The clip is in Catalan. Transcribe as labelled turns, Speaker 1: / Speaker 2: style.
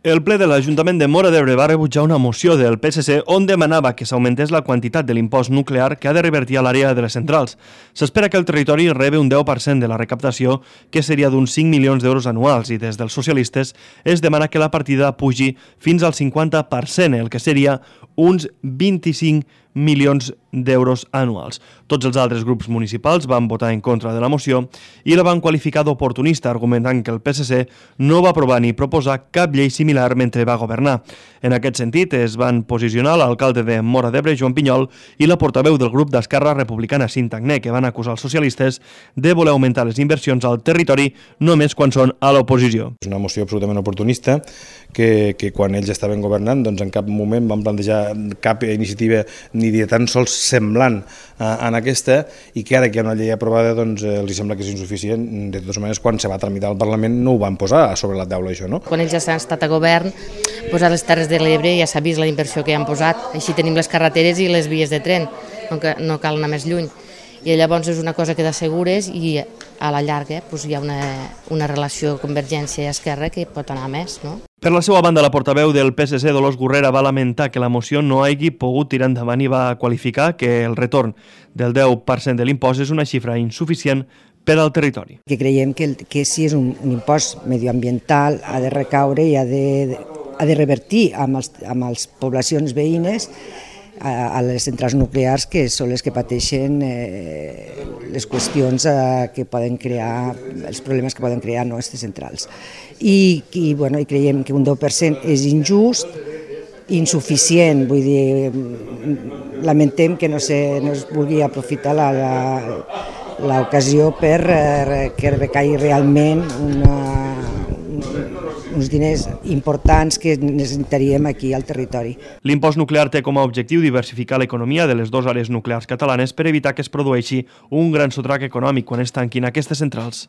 Speaker 1: El ple de l'Ajuntament de Móra d'Ebre va rebutjar una moció del PSC on demanava que s'augmentés la quantitat de l'impost nuclear que ha de revertir a l'àrea de les centrals. S'espera que el territori rebi un 10% de la recaptació, que seria d'uns 5 milions d'euros anuals, i des dels socialistes es demana que la partida pugi fins al 50%, el que seria uns 25 milions d'euros anuals. Tots els altres grups municipals van votar en contra de la moció i la van qualificar d'oportunista, argumentant que el PSC no va aprovar ni proposar cap llei similar mentre va governar. En aquest sentit, es van posicionar l'alcalde de Móra d'Ebre, Joan Pinyol, i la portaveu del grup d'Esquerra Republicana, Cinta Agné, que van acusar els socialistes de voler augmentar les inversions al territori només quan són a l'oposició.
Speaker 2: És una moció absolutament oportunista que quan ells estaven governant doncs en cap moment van plantejar cap iniciativa ni de tan sols semblant en aquesta, i que ara que hi ha una llei aprovada doncs els sembla que és insuficient. De totes maneres, quan se va tramitar al Parlament no ho van posar sobre la taula, això, no?
Speaker 3: Quan ells ja han estat a govern, doncs a les Terres de l'Ebre ja s'ha vist la inversió que hi han posat. Així tenim les carreteres i les vies de tren, no cal anar més lluny. I llavors és una cosa que t'assegures i a la llarga doncs hi ha una relació Convergència i Esquerra que pot anar més, no?
Speaker 1: Per la seva banda, la portaveu del PSC, Dolors Gurrera, va lamentar que la moció no hagi pogut tirar endavant i va qualificar que el retorn del 10% de l'impost és una xifra insuficient per al territori.
Speaker 4: Que creiem que si és un impost medioambiental ha de recaure i ha de revertir amb les poblacions veïnes a les centrals nuclears, que són les que pateixen les qüestions que poden crear, els problemes que poden crear aquestes centrals. I creiem que un 10% és injust, insuficient, vull dir, lamentem que no es vulgui aprofitar l'ocasió per que recaigui realment uns diners importants que necessitaríem aquí al territori.
Speaker 1: L'impost nuclear té com a objectiu diversificar l'economia de les dues àrees nuclears catalanes per evitar que es produeixi un gran sotrac econòmic quan es tanquin aquestes centrals.